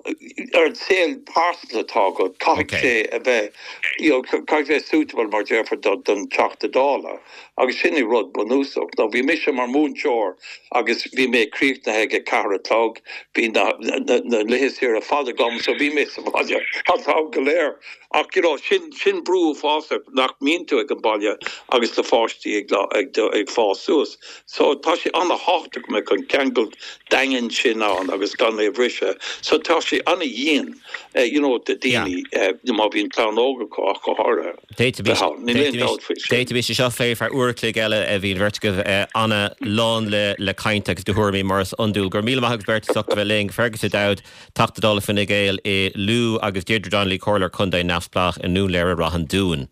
[SPEAKER 3] ar an saol pearsanta atá agat caithfidh
[SPEAKER 1] Okay.
[SPEAKER 3] sé a bheith you know, caithfidh bheith suitable mar déarfá do don Teachta Dála agus sin é rud bunúsach. Nó bhí mise mar múinteoir agus bhí mé críochnaithe ag ceathair a chlog bhí na, na, na laethanta saoire fada agam so bhí mé sa bhaile an t-am go léir. Ach you know, sin sin brú fása nach mbíonn tú ag an baile agus na páistí ag, ag, ag fás suas. So tá sé an-tábhachtach go mbeadh an ceangal daingean sin ann agus gan é bhriseadh. So tá sé an-dian uh, you know, de daoine yeah. uh, má bhíonn clann óg acu ach go háirithe.
[SPEAKER 1] D'fhéadfaimis seo a phlé ar uair chloig eile a bhí beirt agaibh an-lán le le caint agus do thuairimí mar is iondúil gur míle maith beirt as ucht bheith linn Fergus O'Dowd Teachta Dála Fine Gael i Lú agus Deirdre Donnelly Comhairleoir Contae Neamhspleách i nDún Laoghaire Ráth an Dúin.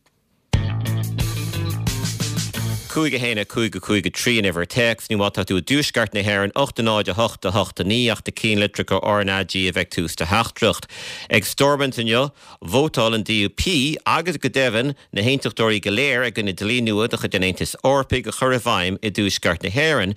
[SPEAKER 1] Cúig a haon a cúig a cúig a trí an uimhir téacs nó má tá tú i dtuaisceart na hÉireann ocht náid a hocht a hocht a naoi ach na ceannlitreacha RnaG a bheith tús do theachtaireacht. Ag Stormont inniu, vótáil an DUP agus go deimhin na haontachtóirí go léir i gcoinne dlí nua de chuid an Aontais Eorpaigh a chur i bhfeidhm i dtuaisceart na hÉireann.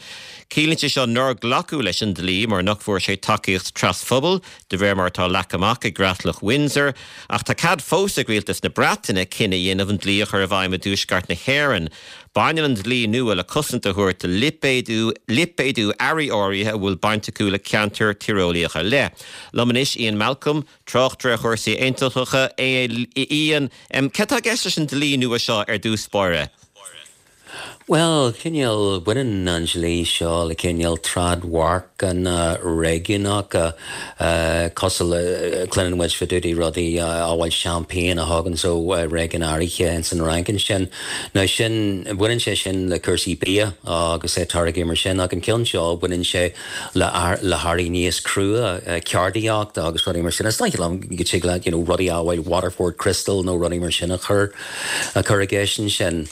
[SPEAKER 1] Ciallaíonn sé seo nár glacadh leis an dlí mar nach bhfuair sé tacaíocht trasphobail de réir mar atá leagtha amach i gCreatlach Windsor, ach tá cead fós ag rialtas na Breataine cinneadh a dhéanamh an dlí a chur i bhfeidhm i dtuaisceart na hÉireann. Baineann an dlí nua le cosaint a thabhairt lipéadú lipéadú earraí áirithe a bhfuil baint acu le ceantar tíreolaíoch ar leith. Liom anois Ian Malcolm, tráchtaire chúrsaí aontachtacha Ian, um, cad atá i gceist leis an dlí nua seo ar dtús báire.
[SPEAKER 5] Bhuel, cineál, baineann an dlí seo le cineál trádmharcanna réigiúnacha, cosúil le, cluineann muid fá dtaobh de rudaí amhail champagne a thagann ó réigiún áirithe ins an Fhrainc ansin. Now sin, baineann sé sin le cúrsaí bia agus táirgí mar sin ach an ceann seo baineann sé le le hearraí níos crua, ceardaíocht agus rudaí mar sin. Is dóigh liom go dtig leat, you know, rudaí amhail Waterford Crystal nó rudaí mar sin a chur a chur i gceist ansin.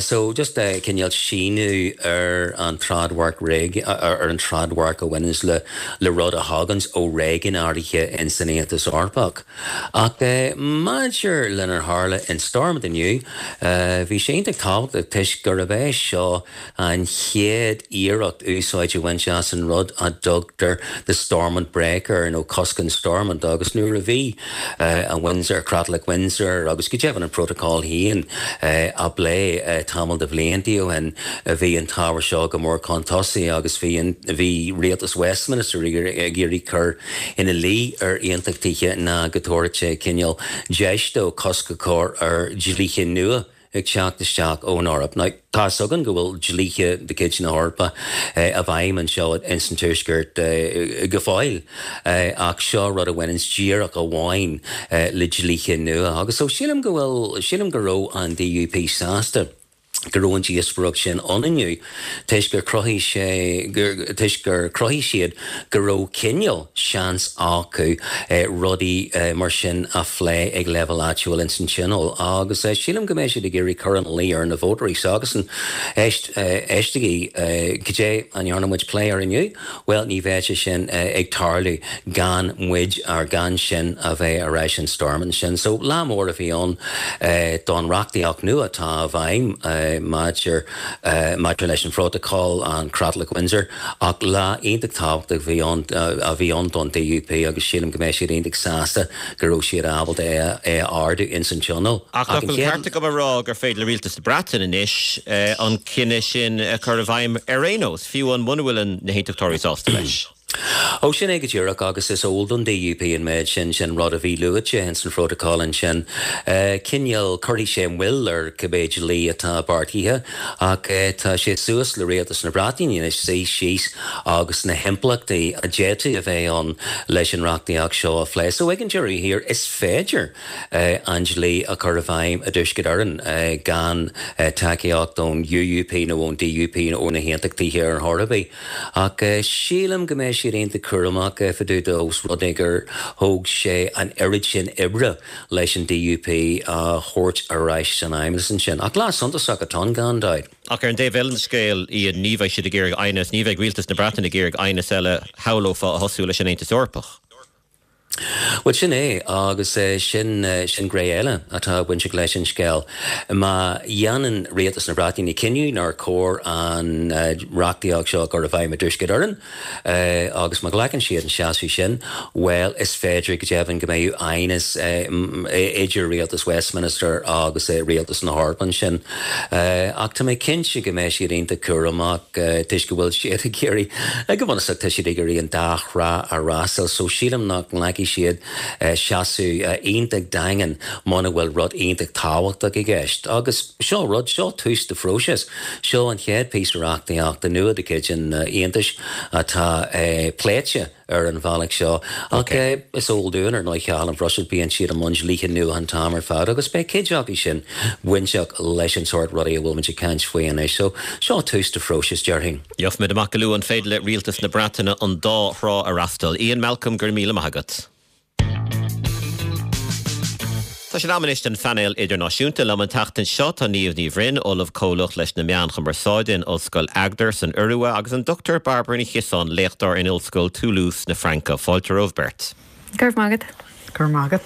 [SPEAKER 5] So just cineál síneadh ar an trádmharc ar an trádmharc a bhaineanns le le rud a thaganns ó réigiún áirithe in san Aontas Eorpach. Ach maidir lenar tharla in Stormont inniu, bhí sé iontach tábhachtach toisc gurb é seo an chéad iarracht úsáid a bhaint as an rud a dtugtar the Stormont Breaker nó cosc an Stormont agus nuair a bhí an Windsor, Creatlach Windsor agus go deimhin an Protocol féin á bplé tamall de bhlianta ó shin, bhí an t-ábhar seo go mór chun tosaigh agus bhí an bhí rialtas Westminster ag iarraidh cur ina luí ar aontachtaithe ná go dtabharfadh sé cineál deis dó cosc a chur ar dhlíthe nua ag teacht isteach ón Eoraip. Now, tá 'fhios againn go bhfuil dlíthe de chuid na hEorpa i bhfeidhm anseo ins an Tuaisceart go fóill, ach seo rud a bhaineanns díreach amháin le dlíthe nua. Agus so sílim go bhfuil, sílim go raibh an DUP sásta go raibh an díospóireacht sin ann inniu toisc gur chruthaigh sé gur toisc gur chruthaigh siad go raibh cineál seans acu rudaí mar sin a phlé ag leibhéal áitiúil ins an Tionól agus sílim go mbeidh siad ag iarraidh cur ina luí ar na vótóirí s'acusan éist éistigí cad é a ndearna muid plé air inniu? Bhuel ní bheidh sé sin ag tarlú gan muid ar gan sin a bheith ar ais in Stormont sin. So lá mór a bhí ann don reachtaíocht nua atá i bhfeidhm maidir maidir leis an Phrótacal, an Creatlach Windsor, ach lá iontach tábhachtach a bhí ann a bhí ann don DUP agus sílim go mbeidh siad iontach sásta go raibh siad ábalta é é a ardú ins an Tionól.
[SPEAKER 1] Ach nach bhfuil ceart agam a rá gur féidir le Rialtas na Breataine anois an cinneadh sin a chur i bhfeidhm ar aon nós, fiú an muna bhfuil na hAontachtóirí sásta leis?
[SPEAKER 5] Ó, sin é go díreach, agus is eol don DUP an méid sin, sin rud a bhí luaite ins an phrótacal ansin. Cineál, cuirfidh sé moill ar cibé dlí atá beartaithe, ach tá sé suas le Rialtas na Breataine anois suí síos agus na himpleachtaí a d'fhéadfadh a bheith ann leis an reachtaíocht seo a phlé. So ag an deireadh thiar, is féidir an dlí a chur i bhfeidhm i dTuaisceart Éireann gan tacaíocht ón UUP nó ón DUP nó ó na hAontachtaithe ar chor ar bith. Ach sílim go mbeidh siad iontach cúramach fá dtaobh de ós rud é gur thóg sé an oiread sin oibre leis an DUP a thabhairt ar ais san fheidhmeannas ansin. Ach lá suntasach atá ann gan dabht.
[SPEAKER 1] Ach ar an dtaobh eile den scéal, Ian, ní bheidh siad ag iarraidh aighneas, ní bheidh rialtas na Breataine ag iarraidh aighneas eile, shamhlófá, a thosú leis an Aontas Eorpach.
[SPEAKER 5] Bhuel, sin é, agus sin, sin gné eile atá bainteach leis an scéal. Má dhéanann Rialtas na Breataine cinneadh nár chóir an reachtaíocht seo a chur i bhfeidhm i dTuaisceart Éireann, agus má ghlacann siad an seasamh sin, bhuel, is féidir go deimhin go mbeidh aighneas idir Rialtas Westminster agus Rialtas na hEorpa ansin. Ach tá mé cinnte go mbeidh siad iontach cúramach toisc go bhfuil siad ag iarraidh, go bunúsach, tá siad ag iarraidh an dá thrá a fhreastal, so sílim nach nglacfaidh siad seasamh iontach daingean muna bhfuil rud iontach tábhachtach i gceist. Agus seo rud, seo tús de phróiseas. Seo an chéad phíosa reachtaíochta nua de chuid an Aontais atá pléite ar an bhealach seo. Ach is eol dúinn, ar ndóigh, Cathal, an Bhruiséil, bíonn siad i mbun dlíthe nua an t-am ar fad agus beidh cuid acu sin bainteach leis an sórt rudaí a bhfuil muid ag caint faoi anois. So, seo tús de phróiseas, déarfainn.
[SPEAKER 1] Gheobhaimid amach go luath an féidir le rialtas na Breataine an dá thrá a fhreastal. Ian Malcolm, go raibh míle maith agat. Tá sé in am anois don phainéal idirnáisiúnta. Liom an tseachtain seo tá Niamh Ní Bhroin, Ollamh Comhlach leis na Meáin Chumarsáide in Ollscoil Agder san Iorua agus an Dochtúir Bairbre Ní Chiosáin, léachtóir in Ollscoil Toulouse na Fraince. Fáilte romhaibh beirt.
[SPEAKER 6] Go raibh maith agat. Go raibh maith agat.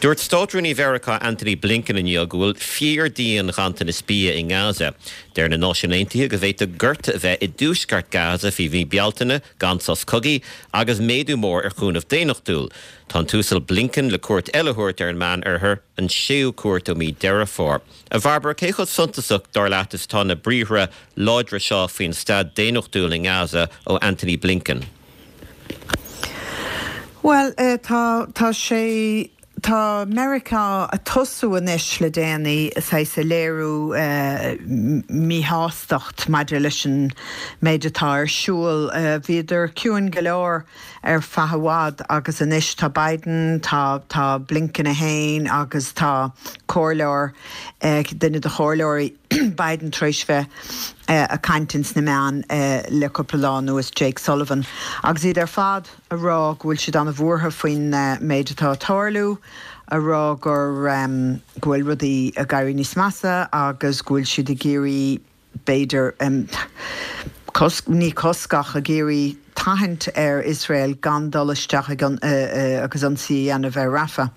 [SPEAKER 1] Dúirt Státrúnaí Mheiriceá Antony Blinken inniu go bhfuil fíor-dhian-ghanntanas bia i nGaza. Deir na Náisiúin Aontaithe go bhféadfadh gorta a bheith i dtuaisceart Gaza faoi mhí Bealtaine gan sos cogaidh agus méadú mór ar chúnamh daonnachtúil. Tá an tUasal Blinken le cuairt eile a thabhairt ar an Meánoirthear, an séú cuairt ó mí Deireadh Fómhair. A Bhairbre, cé chomh suntasach, dar leat, is atá na briathra láidre seo faoin staid daonnachtúil i nGaza ó Antony Blinken?
[SPEAKER 7] Bhuel, tá, tá sé Tá Meiriceá ag tosú anois le déanaí saghas ag léiriú míshástacht maidir leis an méid atá ar siúl. Bhíodar ciúin go leor ar feadh i bhfad agus anois tá Biden, tá tá Blinken é féin agus tá comhairleoir, duine de chomhairleoirí Biden tar éis bheith ag caint ins na meáin le cúpla lá anuas, Jake Sullivan, agus iad ar fad a rá go bhfuil siad an-bhuartha faoin méid atá ag tarlú, a rá gur go bhfuil rudaí ag éirí níos measa agus go bhfuil siad ag iarraidh b'fhéidir cosc, ní cosc ach ag iarraidh tathant ar Iosrael gan dul isteach ag agus ionsaí a dhéanamh ar Rafah.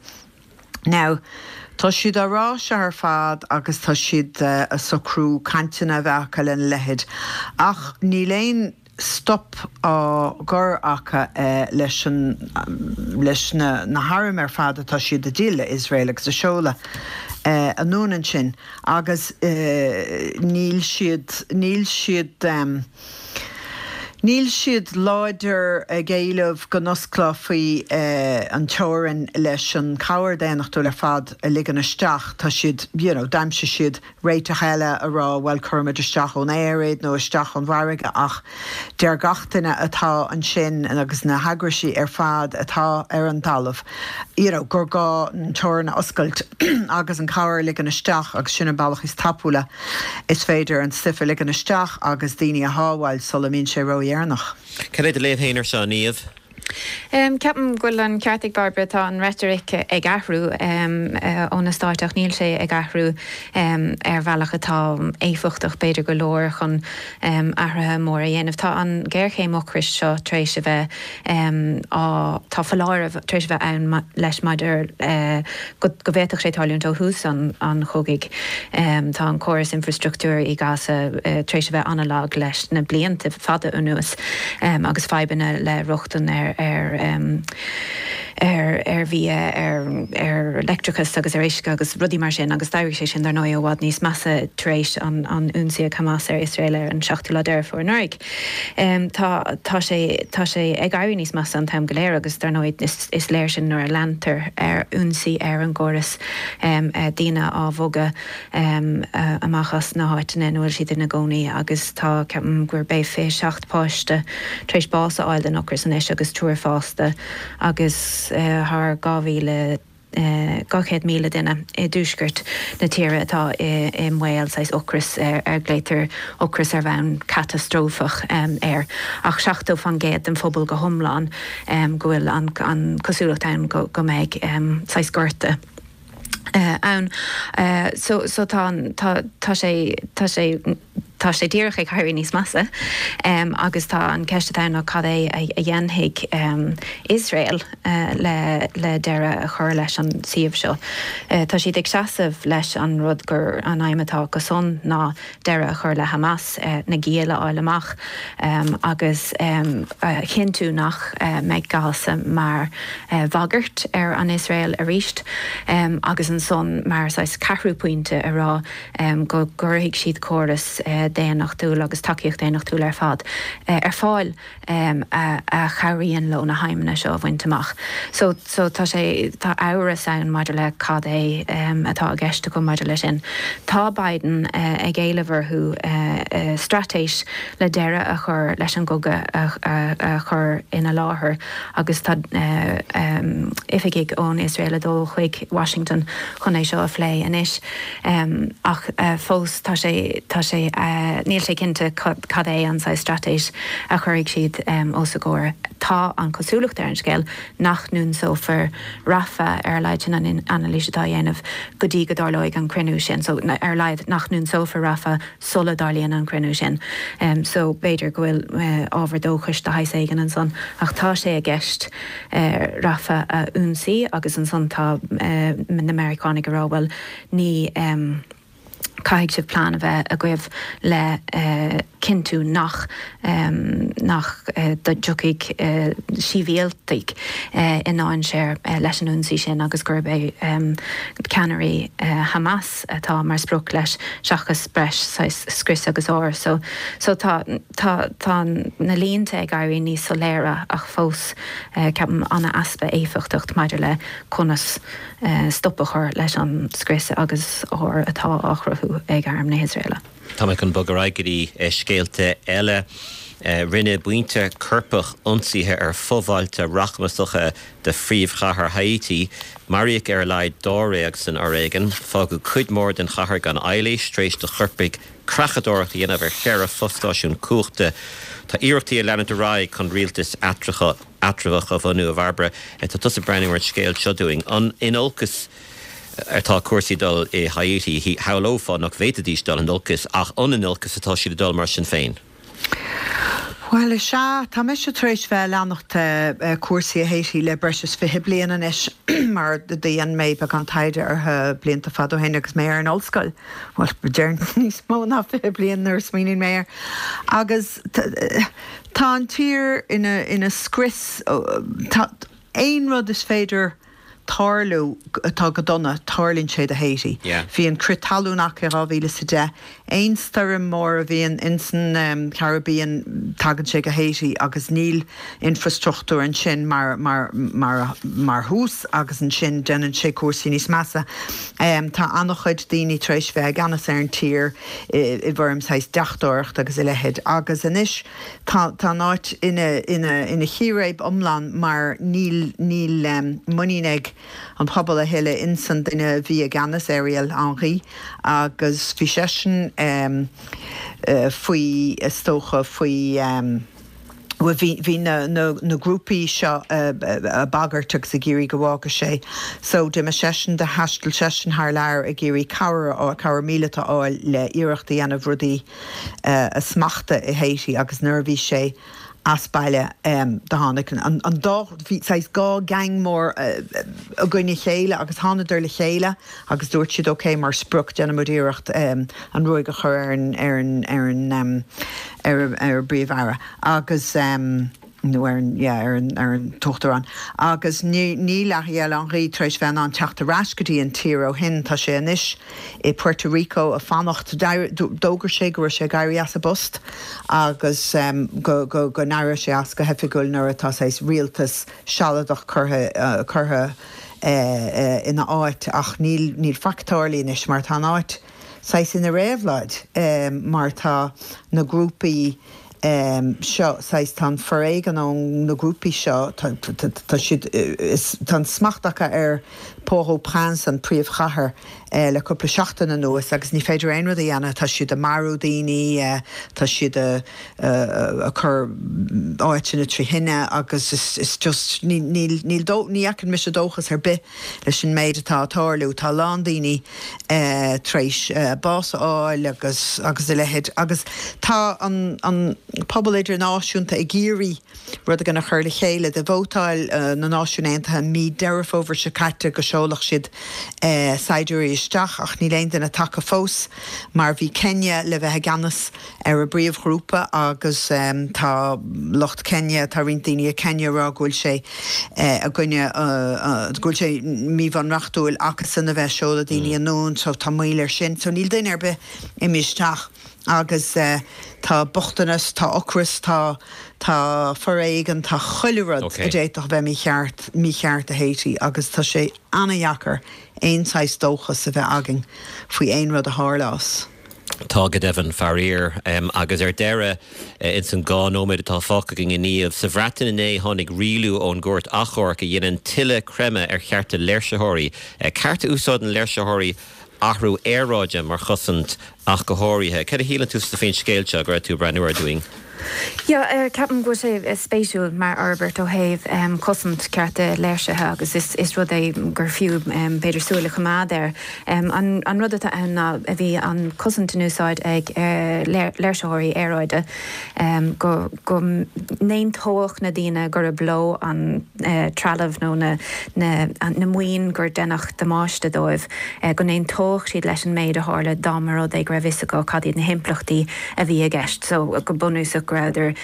[SPEAKER 7] Now, tá siad á rá seo ar fad agus tá siad ag socrú cainteanna a bheith acu lena leithéid, ach níl aon stop á gcur acu leis an, leis na na hairm ar fad atá siad a dhíol le Iosrael agus a seoladh anonn ansin agus níl siad, níl siad. Níl siad láidir ag éileamh go n-osclófaí an teorainn leis an chabhair daonnachtúil ar fad a ligean isteach. Tá siad, you know, d'aimsigh siad réiteach eile a rá bhuel cuirfimid isteach ón aer iad nó isteach ón bhfarraige ach deir gach duine atá ansin agus na heagraisí ar fad atá ar an talamh, you know, gur gá an teorainn a oscailt agus an chabhair a ligean isteach agus sin an bealach is tapúla is féidir an stuif a ligean isteach agus daoine a shábháil sula mbíonn sé ródheireanach.
[SPEAKER 1] Cad é do léamh féin ar seo, Niamh?
[SPEAKER 6] Ceapaim go bhfuil an ceart ag Bairbre, tá an reitric ag athrú ó na Stáit ach níl sé ag athrú ar bhealach atá éifeachtach b'fhéidir go leor chun athruithe móra a dhéanamh. Tá an ghéarchéim ocrais seo tar éis a bheith á, tá foláireamh tar éis a bheith ann leis maidir go bhféadfadh sé tarlúint ó thús an chogaidh. Tá an córas infreastruchtúir i Gaza tar éis a bheith an-lag leis na blianta fada anuas agus fadhbanna le rochtain ar ar ar ar bhia, ar ar leictreachas agus ar uisce agus rudaí mar sin agus d'éirigh sé sin dar ndóigh i bhfad níos measa tar éis an an ionsaí ag Hamas ar Iosrael ar an seachtú lá Deireadh Fómhair anuraidh. Tá tá sé tá sé ag éirí níos measa an t-am go léir agus dar ndóigh is is léir sin nuair a leantar ar ionsaí ar an gcóras daoine á bhogadh amach as na háiteanna ina bhfuil siad ina gcónaí agus tá ceapaim gurb é fiche seacht páiste tar éis bás a fháil den ocras anois agus triúr fásta agus thar dhá mhíle dhá chéad míle duine i dtuaisceart na tíre atá i mbaol saghas ocrais ar glaotar ocras ar bhonn catastrófach air ach seachtó faoin gcéad den phobal go hiomlán go bhfuil an cosúlacht ann go mbeidh saghas gorta ann. So so tá tá tá sé tá sé tá sé díreach ag éirí níos measa agus tá an ceist atá ann ná cad é a dhéanfaidh Iosrael le le deireadh a chur leis an suíomh seo. Tá siad ag seasamh leis an rud gur an aidhm atá acusan ná deireadh a chur le Hamas, na giall a fháil amach agus a chinntiú nach mbeidh Gaza mar bhagairt ar an Iosrael arís agus ansan mar saghas ceathrú pointe a rá go gcuirfidh siad córas daonnachtúil agus tacaíocht daonnachtúil ar fad ar fáil a chabhraíonn leo na haidhmeanna seo a bhaint amach. So so tá sé tá amhras ann maidir le cad é atá i gceist acu maidir leis sin. Tá Biden ag éileamh orthu straitéis le deireadh a chur leis an gcogadh a chur ina láthair agus tá oifigigh ón Iosrael ag dul chuig Washington chun é seo a phlé anois. Ach fós tá sé tá sé níl sé cinnte cad é an saghas straitéis a chuirfidh siad os a gcomhair. Tá an chosúlacht ar an scéal nach n-ionsófar Rafah, ar a laghad sin an anailís atá á dhéanamh, go dtí go dtarlóidh an cruinniú sin. So ar a laghad nach n-ionsófar Rafah sula dtarlaíonn an cruinniú sin. So b'fhéidir go bhfuil ábhar dóchais de shaghas éigin ansan. Ach tá sé i gceist Rafah a ionsaí agus ansan tá na Meiriceánaigh ag rá bhuel ní caithfidh sibh plean a bheith agaibh le cinntiú nach nach dtiocfaidh sibhialtaigh i ndainséar leis an ionsaí sin agus gurb é ceannairí Hamas atá mar sprioc leis seachas breis saghas scrios agus ár. So so tá tá tá na línte ag éirí níos soiléire ach fós ceapaim an-easpa éifeachtacht maidir le conas stop a chur leis an scrios agus ár atá á chruthú ag arm na hIosraeile.
[SPEAKER 1] Tá mé chun bogadh ar aghaidh go dtí scéalta eile. Rinne buíonta coirpeach ionsaithe ar fho-bhailte rachmasacha de phríomhchathair Haiti. Maraíodh ar a laghad dáréag san fhoréigean. Fágadh cuid mhór den chathair gan ailís tar éis do choirpigh creachadóireacht a dhéanamh ar cheithre fostáisiún cumhachta. Tá iarrachtaí ag leanúint ar aghaidh chun rialtas eatramhach a bhunú a Bhairbre. Tá tusa ag breathnú ar an scéal seo dúinn. An in olcas atá cúrsaí ag dul i Haiti? Shamhlófá nach bhféadfaidís dul in olcas ach an in olcas atá siad ag dul mar sin féin?
[SPEAKER 7] Bhuel, is ea, tá mise tar éis bheith ag leanacht cúrsaí i Haiti le breis is fiche bliain anois mar dhein mé beagán taighde orthu blianta fada ó shin agus mé ar an ollscoil, bhuel, déarfainn níos mó ná fiche bliain nuair a smaoiníonn mé air. Agus tá an tír ina ina scrios, tá aon rud is féidir tarlú atá go dona, tarlaíonn sé do Haiti. Bhí an crith talún acu i dhá mhíle is a deich. Aon stoirm mór a bhíonn ins an Caribbean tagann sé go Haiti agus níl infrastruchtúr ansin mar mar mar mar thús agus ansin déanann sé cúrsaí níos measa. Tá an-chuid daoine tar éis bheith i gceannas ar an tír i bhfoirm saghas deachtóireacht agus a leithéid agus anois tá tá an áit ina ina ina chíréib iomlán mar níl níl muinín ag an pobal a thuilleadh ins an duine a bhí i gceannas, Ariel Henry, agus bhí seisean faoi, is dócha, faoi, bhuel bhí bhí na na na grúpaí seo ag bagairt agus ag iarraidh go bhfágfadh sé. So d'imigh seisean, do thaistil seisean thar lear ag iarraidh cabhair a fháil, cabhair míleata a fháil le iarracht a dhéanamh rudaí a smachtú i Haiti agus nuair a bhí sé as baile do tháinig an dá, bhí saghas dhá gang mór i gcoinne a chéile agus thánadar le chéile agus dúirt siad ok mar sprioc déanfaimid iarracht an ruaig a chur ar an, ar an, ar an, ar an bPríomh-Aire agus nó ar an, yeah, ar an, ar an tUachtarán agus ní, níl Ariel Henry tar éis bheith in ann teacht ar ais go dtí an tír ó shin, tá sé anois i Puerto Rico ag fanacht. D'fhógair sé go raibh sé ag éirí as a bpost agus go go n-éireodh sé as go hoifigiúil nuair atá saghas rialtas sealadach curtha curtha ina áit ach níl níl faic tarlaithe anois mar tá an áit saghas ina réabhlóid mar tá na grúpaí seo saghas tá an foréigean ó na grúpaí seo tá tá siad is tá an smacht acu ar Port-au-Prince an príomhchathair le cúpla seachtain anuas agus ní féidir aon rud a dhéanamh tá siad ag marú daoine tá siad ag cur áiteanna trí thine agus is is just ní níl níl dó ní fheiceann mise dóchas ar bith leis an méid atá ag tarlú tá a lán daoine tar éis bás a fháil agus agus a leithéid agus tá an an pobal idirnáisiúnta ag iarraidh rud éigin a chur le chéile. Do vótáil na Náisiúin Aontaithe mí Deireadh Fómhair seo caite go seolfadh siad saighdiúirí isteach ach níl aon duine tagtha fós mar bhí Kenya le bheith i gceannas ar an bpríomhghrúpa agus tá lucht Kenya, tá roinnt daoine i Kenya ag rá go bhfuil sé i gcoinne, go bhfuil sé míbhunreachtúil acusan a bheith ag seoladh daoine anonn so tá moill air sin. So níl duine ar bith imithe isteach. Agus tá bochtanas, tá ocras, tá tá foréigean, tá chuile rud a d'fhéadfadh a bheith mícheart, mícheart i Haiti agus tá sé ana-dheacair aon saghas dóchas a bheith againn faoi aon rud a tharlós.
[SPEAKER 1] Tá go deimhin, faraor. Agus ar deireadh, ins an dhá nóiméad atá fágtha againn a Niamh, sa Bhreatain inné tháinig rialú ón gCúirt Achomhairc a dhéanann tuilleadh creimeadh ar chearta léirsitheoirí, ceart a úsáideann léirsitheoirí athrú aeráide mar chosaint ach go háirithe. Cad a shíleann tusa faoin scéal seo go raibh tú ag breathnú air dúinn?
[SPEAKER 6] Yeah, ceapaim go bhfuil sé spéisiúil mar fhorbairt ó thaobh cosaint cearta léirsithe agus is is rud é gur fiú b'fhéidir súil a choimeád air. An an rud atá ann ná a bhí an cosaint in úsáid ag léirsitheoirí aeráide go go n-aontódh na daoine gurb leo an trealamh nó na na na maoin gur deineadh damáiste dóibh, go n-aontódh siad leis an méid a tharla dá mba rud é go raibh fhios acu cad iad na himpleachtaí a bhí i gceist. So go bunúsach go rabhadar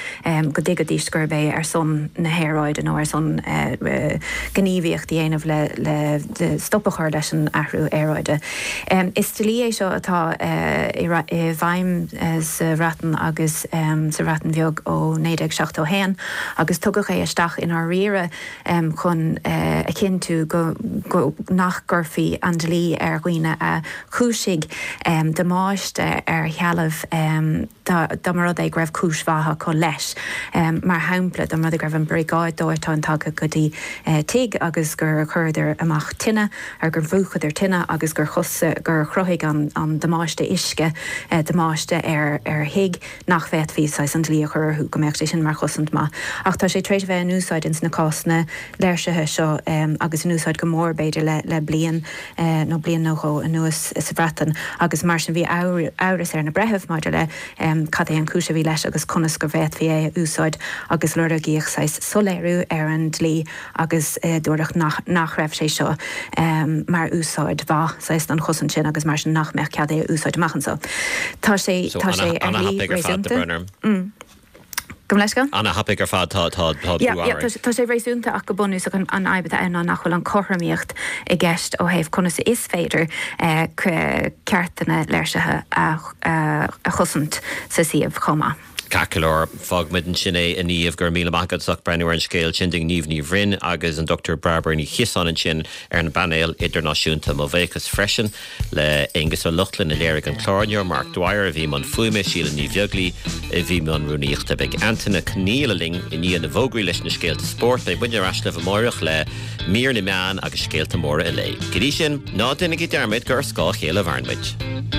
[SPEAKER 6] go dtuigfidís gurb é ar son na haeráide nó ar son gníomhaíocht a dhéanamh le stop a chur leis an athrú aeráide. Is dlí é seo atá i bhfeidhm sa Bhreatain agus sa Bhreatain Bheag ó naoi déag seachtó a haon agus tugadh é isteach i ndáiríre chun a chinntiú go nach gcuirfí an dlí ar dhaoine a chúisigh damáiste ar shealbh dá mba rud é go raibh cúis mhaith acu leis. Mar shampla, dá mba rud é go raibh an briogáid dóiteáin tagtha go dtí tigh agus gur chuireadar amach tine, ar gur mhúchadar tine agus gur gur chruthaigh an damáiste uisce damáiste ar ar thigh, nach bhféadfaí saghas an dlí a chur orthu, go mbeadh sé sin mar chosaint maith. Ach tá sé tar éis a bheith in úsáid ins na cásanna léirsithe seo agus in úsáid go mór b'fhéidir le le bliain nó bliain nó dhó anuas sa Bhreatain agus mar sin bhí amhras ar na breithimh maidir le cad é an chúis a bhí leis agus conas go bhféadfaí é a úsáid agus lorgaíodh saghas soiléiriú ar an dlí agus dúradh nach nach raibh sé seo mar úsáid mhaith saghas don chosaint sin agus mar sin nach mbeadh cead é a úsáid amach anseo. Tá sé tá sé ar shlí réasúnta. Gabh mo leithscéal?
[SPEAKER 1] Ana-thapaidh ar fad, tá tá tá
[SPEAKER 6] Yeah, yeah, tá sé réasúnta ach go bunúsach an an fhadhb atá ann ná nach bhfuil an cothromaíocht i gceist ó thaobh conas is féidir ceartanna léirsithe a a chosaint sa suíomh chomh maith.
[SPEAKER 1] Ceart go leor, fágfaimid ansin é a Niamh, go raibh míle maith agat as ucht breathnú ar an scéal sin dúinn Niamh Ní Bhroin agus an Dochtúir Bairbre Ní Chiosáin ansin ar an bpainéal idirnáisiúnta. Mo bhuíochas freisin le Aonghus Ó Lochlainn a léirigh an clár inniu, Mark Dwyer a bhí i mbun fuaime, Síle Ní Bheaglaoi a bhí i mbun rúnaíochta. Beidh Antaine Conial linn i ndiaidh na bhfógraí leis na scéalta spóirt. Beidh muidne ar ais libh amárach le mír na meán agus scéalta móra an lae. Go dtí sin, ná déanaigí dearmad gur ar scáth a chéile a mhaireann muid.